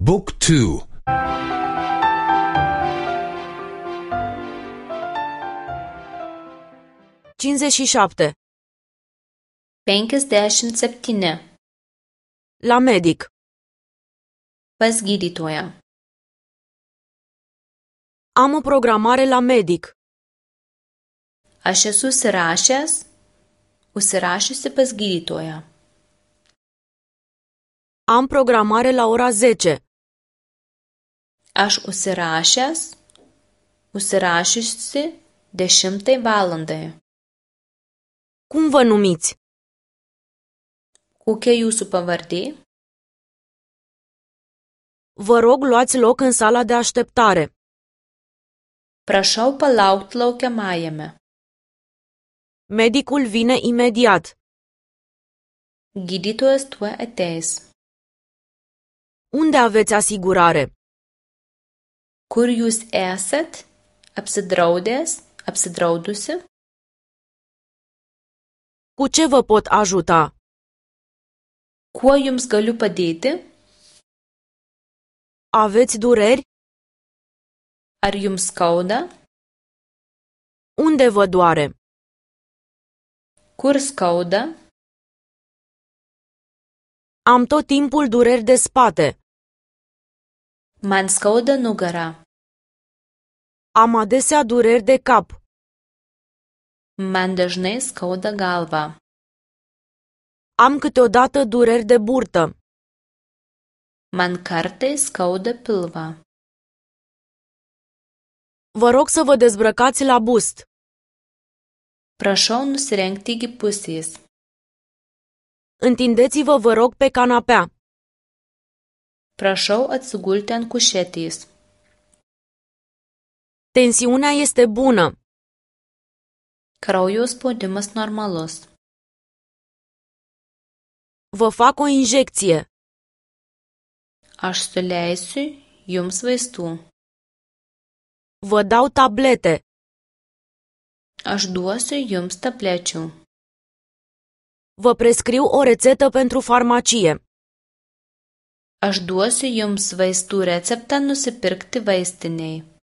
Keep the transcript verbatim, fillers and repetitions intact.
Book two. cincizeci și șapte. penkiasdešimt septyni. La medic. Pas gydytoją. Am o programare la medic. Aš esu užsirašęs, užsirašiusi pas gydytoją. Am programare la ora zece. Aš užsirašęs, užsirašiusi dešimtai valandai. Cum vă numiți? Kokia jūsų pavardė? Vă rog, luați loc în sala de așteptare. Prašau palaukti laukiamajame. Medicul vine imediat. Gydytojas tuoj ateis. Unde aveți asigurare? Kur jūs esat? Apsidraudęs, apsidraudusi? Cu ce vă pot ajuta? Kuo jums galiu padėti? Aveți dureri? Ar jums skauda? Unde vă doare? Kur skauda? Am tot timpul dureri de spate. Man skauda nugara. Am adesea dureri de cap. Man dažnai skauda galva. Am câteodată dureri de burtă. Man kartais skauda pilvą. Vă rog să vă dezbrăcați la bust. Prašau nusirengti iki pusės. Întindeți-vă, vă rog, pe canapea. Prašau atsigulti ant kušetės. Tensiunea este bună. Kraujo spaudimas normalus. Vă fac o injecție. Aš suleisiu jums vaistų. Vă dau tablete. Aš duosiu jums tablečių. Vă prescriu o rețetă pentru farmacie. Aš duosiu jums vaistų receptą nusipirkti vaistinėje.